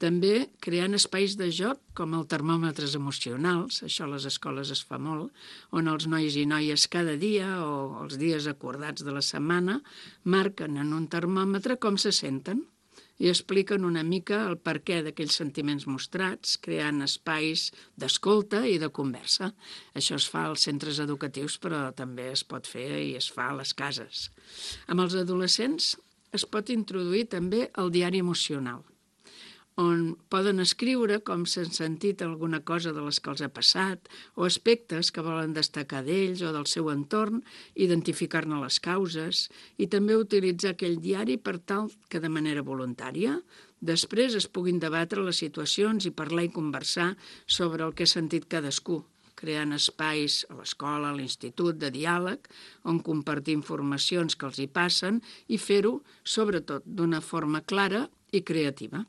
També creant espais de joc com el termòmetres emocionals, això a les escoles es fa molt, on els nois i noies cada dia o els dies acordats de la setmana marquen en un termòmetre com se senten i expliquen una mica el perquè d'aquells sentiments mostrats, creant espais d'escolta i de conversa. Això es fa als centres educatius, però també es pot fer i es fa a les cases. Amb els adolescents es pot introduir també el diari emocional, on poden escriure com s'han sentit alguna cosa de les que els ha passat o aspectes que volen destacar d'ells o del seu entorn, identificar-ne les causes i també utilitzar aquell diari per tal que de manera voluntària després es puguin debatre les situacions i parlar i conversar sobre el que ha sentit cadascú, creant espais a l'escola, a l'institut de diàleg, on compartir informacions que els hi passen i fer-ho, sobretot, d'una forma clara i creativa.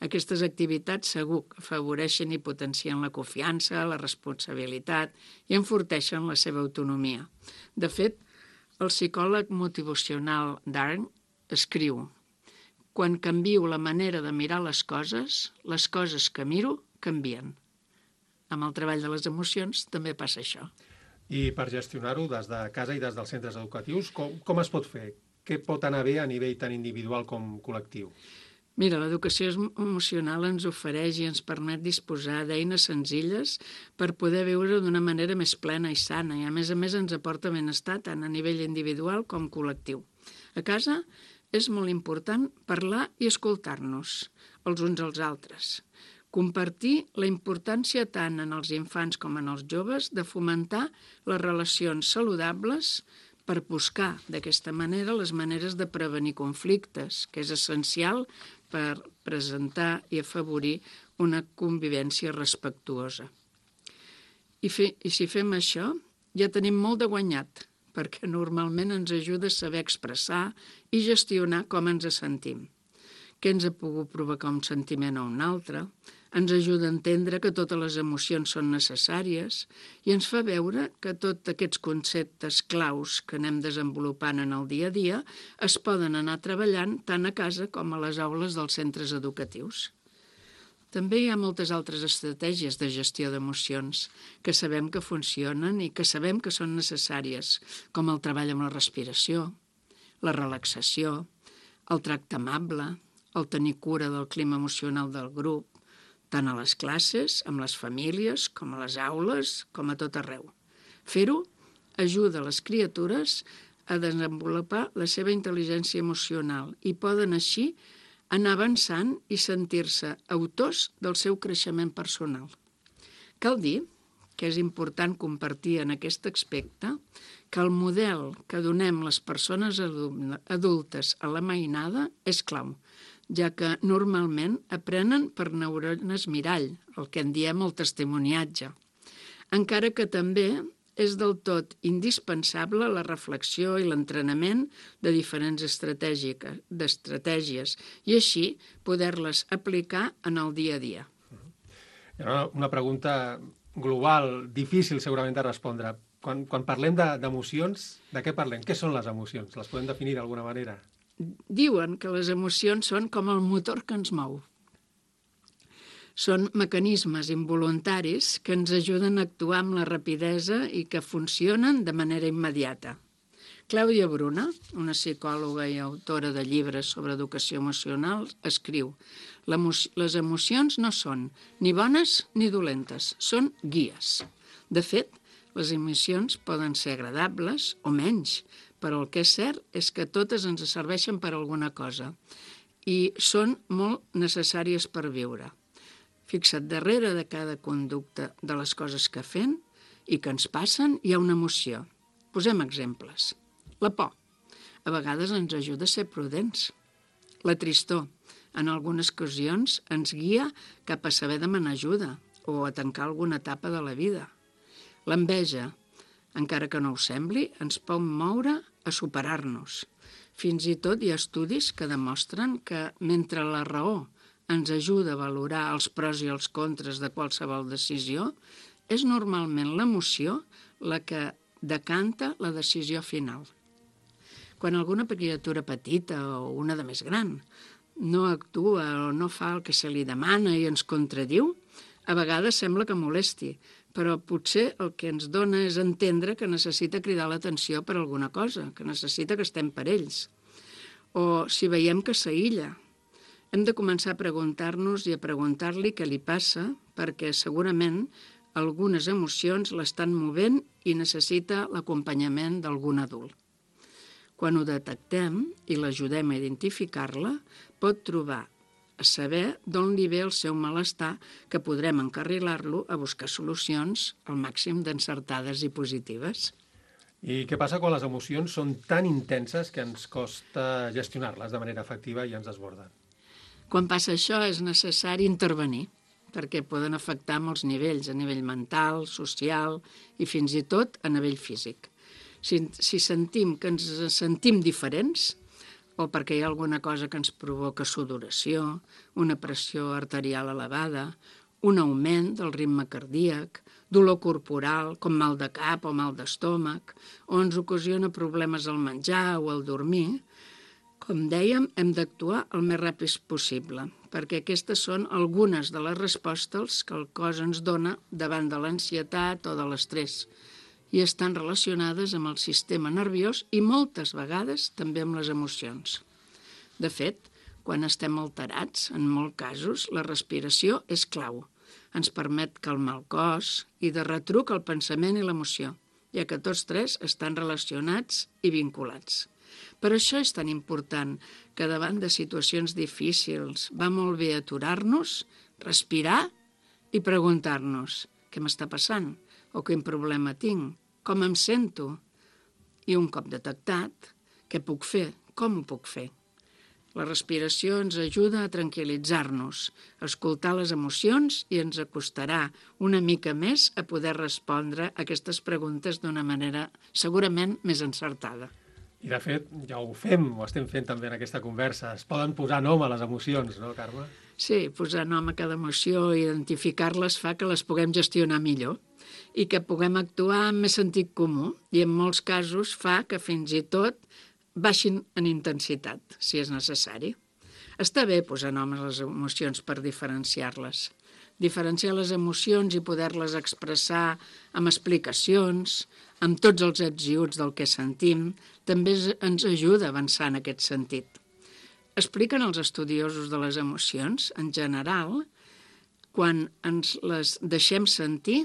Aquestes activitats segur que afavoreixen i potencien la confiança, la responsabilitat i enforteixen la seva autonomia. De fet, el psicòleg motivacional Darn escriu: «Quan canvio la manera de mirar les coses, les coses que miro canvien». Amb el treball de les emocions també passa això. I per gestionar-ho des de casa i des dels centres educatius, com, com es pot fer? Què pot anar bé a nivell tant individual com col·lectiu? Mira, l'educació emocional ens ofereix i ens permet disposar d'eines senzilles per poder viure d'una manera més plena i sana, i a més a més ens aporta benestar tant a nivell individual com col·lectiu. A casa és molt important parlar i escoltar-nos els uns als altres. Compartir la importància tant en els infants com en els joves de fomentar les relacions saludables per buscar d'aquesta manera les maneres de prevenir conflictes, que és essencial per presentar i afavorir una convivència respectuosa. I, fe, i si fem això, ja tenim molt de guanyat, perquè normalment ens ajuda a saber expressar i gestionar com ens sentim. Què ens ha pogut provocar un sentiment o un altre, ens ajuda a entendre que totes les emocions són necessàries i ens fa veure que tots aquests conceptes claus que anem desenvolupant en el dia a dia es poden anar treballant tant a casa com a les aules dels centres educatius. També hi ha moltes altres estratègies de gestió d'emocions que sabem que funcionen i que sabem que són necessàries, com el treball amb la respiració, la relaxació, el tracte amable, el tenir cura del clima emocional del grup, tant a les classes, amb les famílies, com a les aules, com a tot arreu. Fer-ho ajuda les criatures a desenvolupar la seva intel·ligència emocional i poden així anar avançant i sentir-se autors del seu creixement personal. Cal dir que és important compartir en aquest aspecte que el model que donem les persones adultes a la mainada és clau, ja que normalment aprenen per neurones mirall, el que en diem el testimoniatge. Encara que també és del tot indispensable la reflexió i l'entrenament de diferents estratègies i així poder-les aplicar en el dia a dia. Hi ha una pregunta global, difícil segurament de respondre. Quan, quan parlem d'emocions, de, de què parlem? Què són les emocions? Les podem definir d'alguna manera? Diuen que les emocions són com el motor que ens mou. Són mecanismes involuntaris que ens ajuden a actuar amb la rapidesa i que funcionen de manera immediata. Clàudia Bruna, una psicòloga i autora de llibres sobre educació emocional, escriu: les emocions no són ni bones ni dolentes, són guies. De fet, les emocions poden ser agradables o menys, però el que és cert és que totes ens serveixen per alguna cosa i són molt necessàries per viure. Fixa't, darrere de cada conducta de les coses que fem i que ens passen hi ha una emoció. Posem exemples. La por. A vegades ens ajuda a ser prudents. La tristor. En algunes ocasions ens guia cap a saber demanar ajuda o a tancar alguna etapa de la vida. L'enveja, encara que no ho sembli, ens pot moure a superar-nos. Fins i tot hi ha estudis que demostren que mentre la raó ens ajuda a valorar els pros i els contres de qualsevol decisió, és normalment l'emoció la que decanta la decisió final. Quan alguna criatura petita o una de més gran no actua o no fa el que se li demana i ens contradiu, a vegades sembla que molesti, però potser el que ens dona és entendre que necessita cridar l'atenció per alguna cosa, que necessita que estem per ells. O si veiem que s'aïlla, hem de començar a preguntar-nos i a preguntar-li què li passa, perquè segurament algunes emocions l'estan movent i necessita l'acompanyament d'algun adult. Quan ho detectem i l'ajudem a identificar-la, pot trobar a saber d'on li ve el seu malestar, que podrem encarrilar-lo a buscar solucions al màxim d'encertades i positives. I què passa quan les emocions són tan intenses que ens costa gestionar-les de manera efectiva i ens desborden? Quan passa això és necessari intervenir, perquè poden afectar molts nivells, a nivell mental, social i fins i tot a nivell físic. Si, si sentim que ens sentim diferents, o perquè hi ha alguna cosa que ens provoca sudoració, una pressió arterial elevada, un augment del ritme cardíac, dolor corporal, com mal de cap o mal d'estómac, o ens ocasiona problemes al menjar o al dormir, com dèiem, hem d'actuar el més ràpid possible, perquè aquestes són algunes de les respostes que el cos ens dona davant de l'ansietat o de l'estrès. i estan relacionades amb el sistema nerviós i moltes vegades també amb les emocions. De fet, quan estem alterats, en molts casos, la respiració és clau. Ens permet calmar el cos i de retruc el pensament i l'emoció, ja que tots tres estan relacionats i vinculats. Per això és tan important que davant de situacions difícils va molt bé aturar-nos, respirar i preguntar-nos què m'està passant o quin problema tinc, com em sento i un cop detectat, què puc fer, com ho puc fer. La respiració ens ajuda a tranquil·litzar-nos, a escoltar les emocions i ens acostarà una mica més a poder respondre a aquestes preguntes d'una manera segurament més encertada. I, de fet, ja ho fem, ho estem fent també en aquesta conversa. Es poden posar nom a les emocions, no, Carme? Sí, posar nom a cada emoció i identificar-les fa que les puguem gestionar millor i que puguem actuar amb més sentit comú i en molts casos fa que fins i tot baixin en intensitat, si és necessari. Està bé posar nom a les emocions per diferenciar-les. Diferenciar les emocions i poder-les expressar amb explicacions, amb tots els ets i uts del que sentim, també ens ajuda a avançar en aquest sentit. Expliquen els estudiosos de les emocions, en general, quan ens les deixem sentir,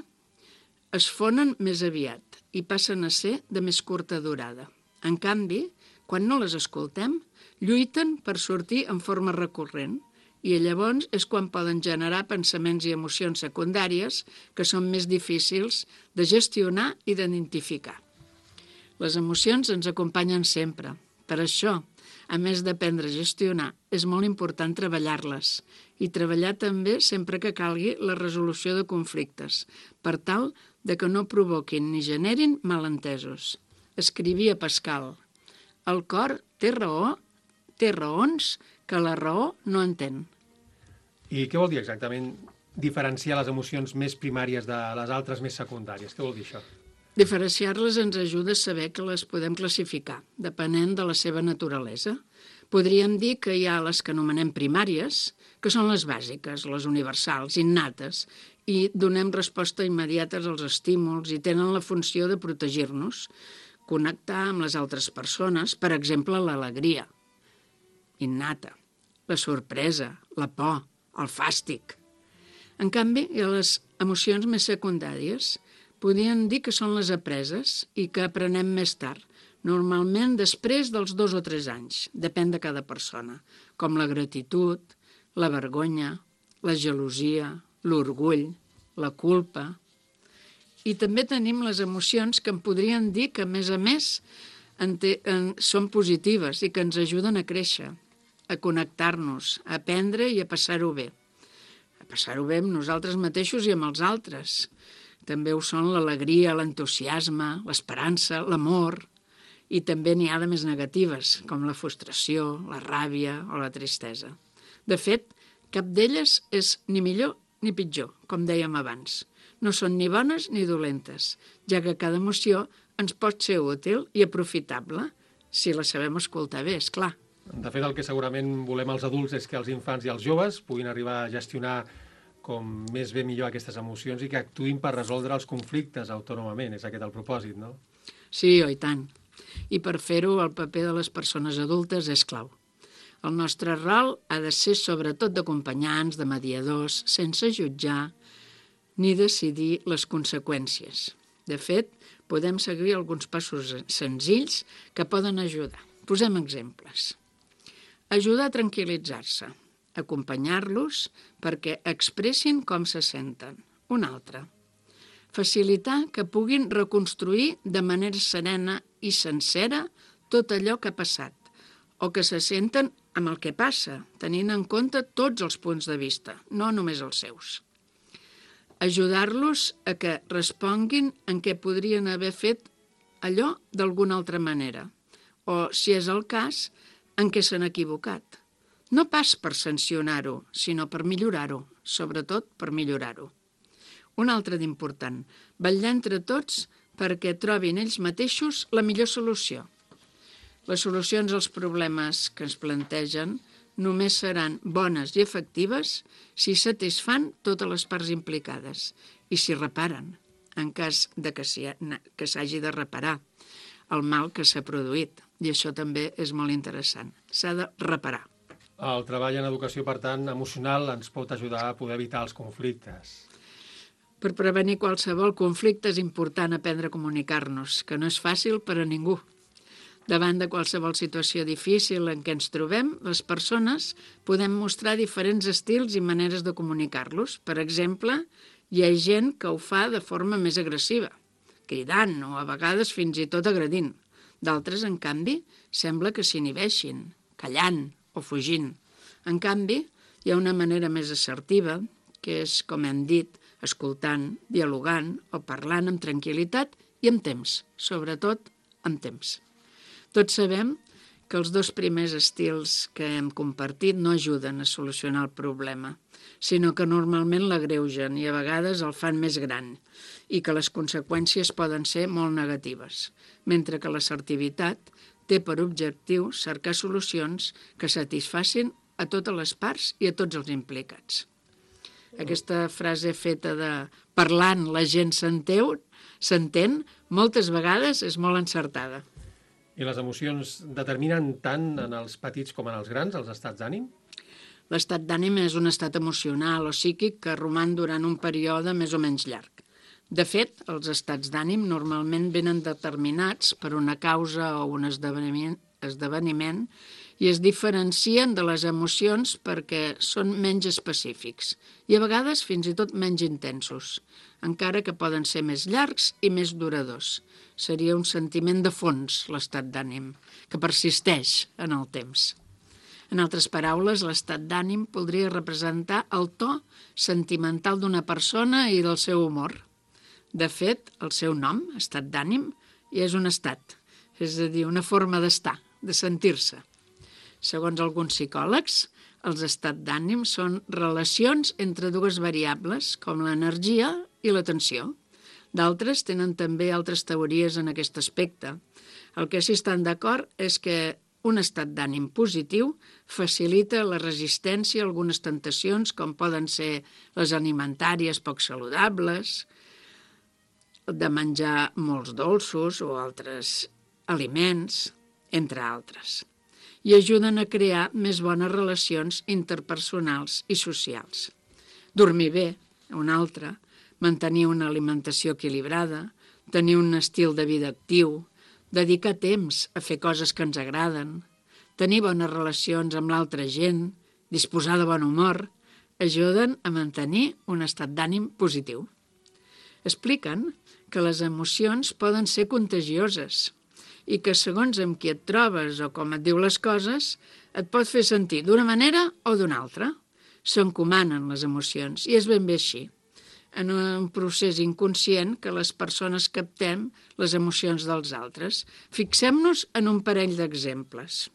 es fonen més aviat i passen a ser de més curta durada. En canvi, quan no les escoltem, lluiten per sortir en forma recurrent i llavors és quan poden generar pensaments i emocions secundàries que són més difícils de gestionar i d'identificar. Les emocions ens acompanyen sempre. Per això, a més d'aprendre a gestionar, és molt important treballar-les i treballar també sempre que calgui la resolució de conflictes, per tal de que no provoquin ni generin malentesos. Escrivia Pascal: el cor té raó, té raons que la raó no entén. I què vol dir exactament diferenciar les emocions més primàries de les altres més secundàries? Què vol dir això? Diferenciar-les ens ajuda a saber que les podem classificar, depenent de la seva naturalesa. Podríem dir que hi ha les que anomenem primàries, que són les bàsiques, les universals, innates, i donem resposta immediata als estímuls i tenen la funció de protegir-nos, connectar amb les altres persones, per exemple, l'alegria innata, la sorpresa, la por, el fàstic. En canvi, hi ha les emocions més secundàries. Podríem dir que són les apreses i que aprenem més tard, normalment després dels dos o tres anys, depèn de cada persona, com la gratitud, la vergonya, la gelosia, l'orgull, la culpa. I també tenim les emocions que en podrien dir que, a més a més, en te, en, són positives i que ens ajuden a créixer, a connectar-nos, a aprendre i a passar-ho bé. A passar-ho bé amb nosaltres mateixos i amb els altres. També ho són l'alegria, l'entusiasme, l'esperança, l'amor. I també n'hi ha de més negatives, com la frustració, la ràbia o la tristesa. De fet, cap d'elles és ni millor ni pitjor, com dèiem abans. No són ni bones ni dolentes, ja que cada emoció ens pot ser útil i aprofitable, si la sabem escoltar bé, és clar. De fet, el que segurament volem els adults és que els infants i els joves puguin arribar a gestionar com més bé millor aquestes emocions i que actuïn per resoldre els conflictes autònomament. És aquest el propòsit, no? Sí, oi tant. I per fer-ho, el paper de les persones adultes és clau. El nostre rol ha de ser sobretot d'acompanyants, de mediadors, sense jutjar ni decidir les conseqüències. De fet, podem seguir alguns passos senzills que poden ajudar. Posem exemples. Ajudar a tranquil·litzar-se, acompanyar-los perquè expressin com se senten. Un altre. Facilitar que puguin reconstruir de manera serena i sencera tot allò que ha passat, o que se senten amb el que passa, tenint en compte tots els punts de vista, no només els seus. Ajudar-los a que responguin en què podrien haver fet allò d'alguna altra manera, o, si és el cas, en què s'han equivocat. No pas per sancionar-ho, sinó per millorar-ho, sobretot per millorar-ho. Un altre d'important, vetllar entre tots perquè trobin ells mateixos la millor solució. Les solucions als problemes que ens plantegen només seran bones i efectives si satisfan totes les parts implicades i si reparen, en cas de que s'hi ha- que s'hagi de reparar el mal que s'ha produït. I això també és molt interessant. S'ha de reparar. El treball en educació, per tant, emocional, ens pot ajudar a poder evitar els conflictes. Per prevenir qualsevol conflicte és important aprendre a comunicar-nos, que no és fàcil per a ningú. Davant de qualsevol situació difícil en què ens trobem, les persones podem mostrar diferents estils i maneres de comunicar-los. Per exemple, hi ha gent que ho fa de forma més agressiva, cridant o a vegades fins i tot agredint. D'altres, en canvi, sembla que s'inhibeixin, callant o fugint. En canvi, hi ha una manera més assertiva, que és, com hem dit, escoltant, dialogant o parlant amb tranquil·litat i amb temps, sobretot amb temps. Tots sabem que els dos primers estils que hem compartit no ajuden a solucionar el problema, sinó que normalment l'agreugen i a vegades el fan més gran i que les conseqüències poden ser molt negatives, mentre que l'assertivitat té per objectiu cercar solucions que satisfacin a totes les parts i a tots els implicats. Aquesta frase feta de parlant la gent s'enteu, s'entén, moltes vegades és molt encertada. I les emocions determinen tant en els petits com en els grans els estats d'ànim? L'estat d'ànim és un estat emocional o psíquic que roman durant un període més o menys llarg. De fet, els estats d'ànim normalment venen determinats per una causa o un esdeveniment, esdeveniment i es diferencien de les emocions perquè són menys específics i a vegades fins i tot menys intensos, encara que poden ser més llargs i més duradors. Seria un sentiment de fons, l'estat d'ànim, que persisteix en el temps. En altres paraules, l'estat d'ànim podria representar el to sentimental d'una persona i del seu humor. De fet, el seu nom, estat d'ànim, ja és un estat, és a dir, una forma d'estar, de sentir-se. Segons alguns psicòlegs, els estats d'ànim són relacions entre dues variables, com l'energia i la tensió. D'altres tenen també altres teories en aquest aspecte. El que sí estan d'acord és que un estat d'ànim positiu facilita la resistència a algunes tentacions, com poden ser les alimentàries poc saludables, de menjar molts dolços o altres aliments, entre altres, i ajuden a crear més bones relacions interpersonals i socials. Dormir bé, una altra, mantenir una alimentació equilibrada, tenir un estil de vida actiu, dedicar temps a fer coses que ens agraden, tenir bones relacions amb l'altra gent, disposar de bon humor, ajuden a mantenir un estat d'ànim positiu. Expliquen que les emocions poden ser contagioses i que segons amb qui et trobes o com et diu les coses, et pot fer sentir d'una manera o d'una altra. S'encomanen les emocions i és ben bé així. En un procés inconscient que les persones captem les emocions dels altres. Fixem-nos en un parell d'exemples.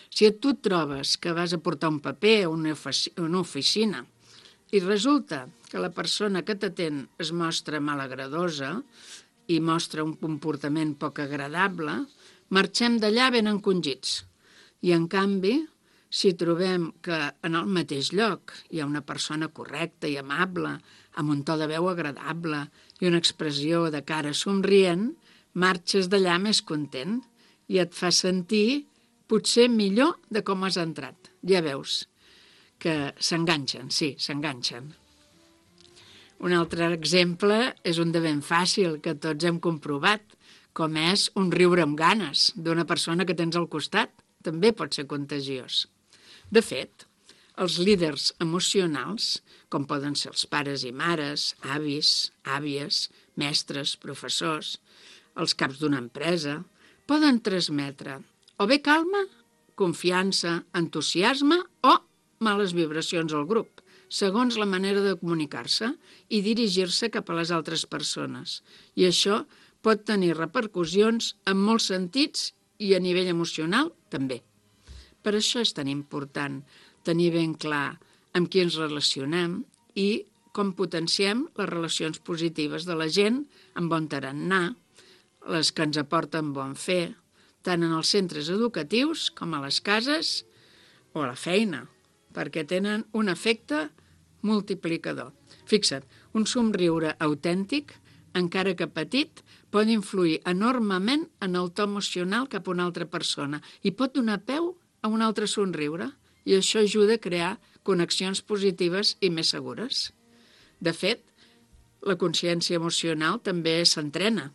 Si tu et trobes que vas a portar un paper a una oficina i resulta que la persona que t'atén es mostra malagradosa i mostra un comportament poc agradable, marxem d'allà ben encongits. I, en canvi, si trobem que en el mateix lloc hi ha una persona correcta i amable, amb un to de veu agradable i una expressió de cara somrient, marxes d'allà més content i et fa sentir potser millor de com has entrat. Ja veus que s'enganxen, sí, s'enganxen. Un altre exemple és un de ben fàcil que tots hem comprovat, com és un riure amb ganes d'una persona que tens al costat. També pot ser contagiós. De fet, els líders emocionals, com poden ser els pares i mares, avis, àvies, mestres, professors, els caps d'una empresa, poden transmetre o bé calma, confiança, entusiasme o males vibracions al grup, segons la manera de comunicar-se i dirigir-se cap a les altres persones. I això pot tenir repercussions en molts sentits i a nivell emocional també. Per això és tan important tenir ben clar amb qui ens relacionem i com potenciem les relacions positives de la gent amb bon tarannà, les que ens aporten bon fer, tant en els centres educatius com a les cases o a la feina, perquè tenen un efecte multiplicador. Fixa't, un somriure autèntic, encara que petit, pot influir enormement en el to emocional cap a una altra persona i pot donar peu a un altre somriure. I això ajuda a crear connexions positives i més segures. De fet, la consciència emocional també s'entrena.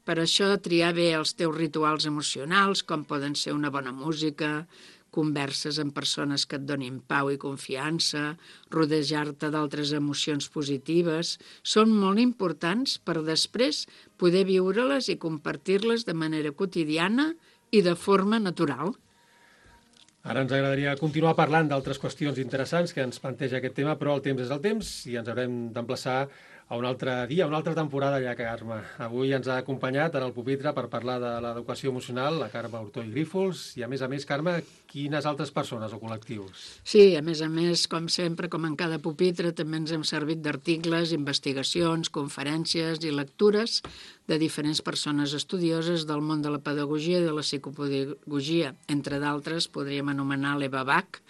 Per això triar bé els teus rituals emocionals, com poden ser una bona música, converses amb persones que et donin pau i confiança, rodejar-te d'altres emocions positives, són molt importants per després poder viure-les i compartir-les de manera quotidiana i de forma natural. Ara ens agradaria continuar parlant d'altres qüestions interessants que ens planteja aquest tema, però el temps és el temps i ens haurem d'emplaçar a un altre dia, a una altra temporada ja, Carme. Avui ens ha acompanyat en el pupitre per parlar de l'educació emocional la Carme Hurtoll Grífols i, a més a més, Carme, quines altres persones o col·lectius? Sí, a més a més, com sempre, com en cada pupitre, també ens hem servit d'articles, investigacions, conferències i lectures de diferents persones estudioses del món de la pedagogia i de la psicopedagogia. Entre d'altres, podríem anomenar l'Eva Bach,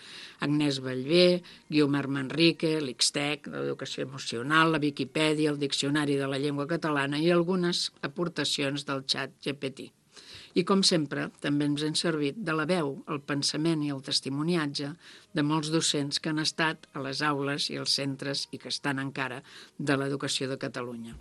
Agnès Ballbé, Guiomar Manrique, l'Ixtec, l'educació emocional, la Viquipèdia, el Diccionari de la Llengua Catalana i algunes aportacions del xat G P T. I, com sempre, també ens hem servit de la veu, el pensament i el testimoniatge de molts docents que han estat a les aules i als centres i que estan encara de l'educació de Catalunya.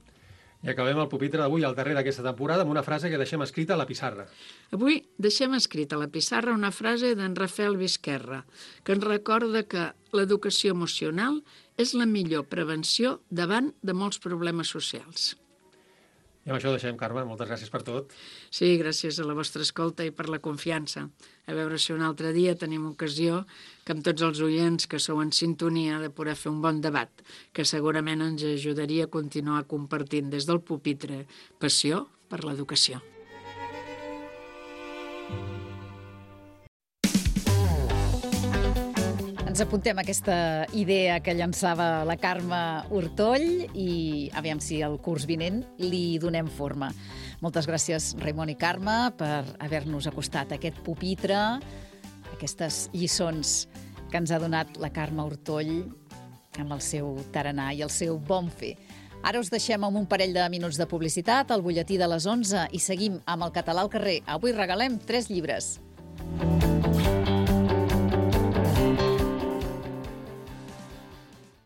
I acabem el pupitre d'avui, al darrer d'aquesta temporada, amb una frase que deixem escrita a la pissarra. Avui deixem escrita a la pissarra una frase d'en Rafael Vizquerra, que ens recorda que l'educació emocional és la millor prevenció davant de molts problemes socials. I amb això deixem, Carme. Moltes gràcies per tot. Sí, gràcies a la vostra escolta i per la confiança. A veure si un altre dia tenim ocasió que amb tots els oients que sou en sintonia de poder fer un bon debat, que segurament ens ajudaria a continuar compartint des del pupitre passió per l'educació. Ens apuntem aquesta idea que llançava la Carme Hurtoll i aviam si el curs vinent li donem forma. Moltes gràcies, Raimon i Carme, per haver-nos acostat a aquest pupitre, aquestes lliçons que ens ha donat la Carme Hurtoll amb el seu tarannà i el seu bon fer. Ara us deixem amb un parell de minuts de publicitat, el butlletí de les onze, i seguim amb el català al carrer. Avui regalem tres llibres.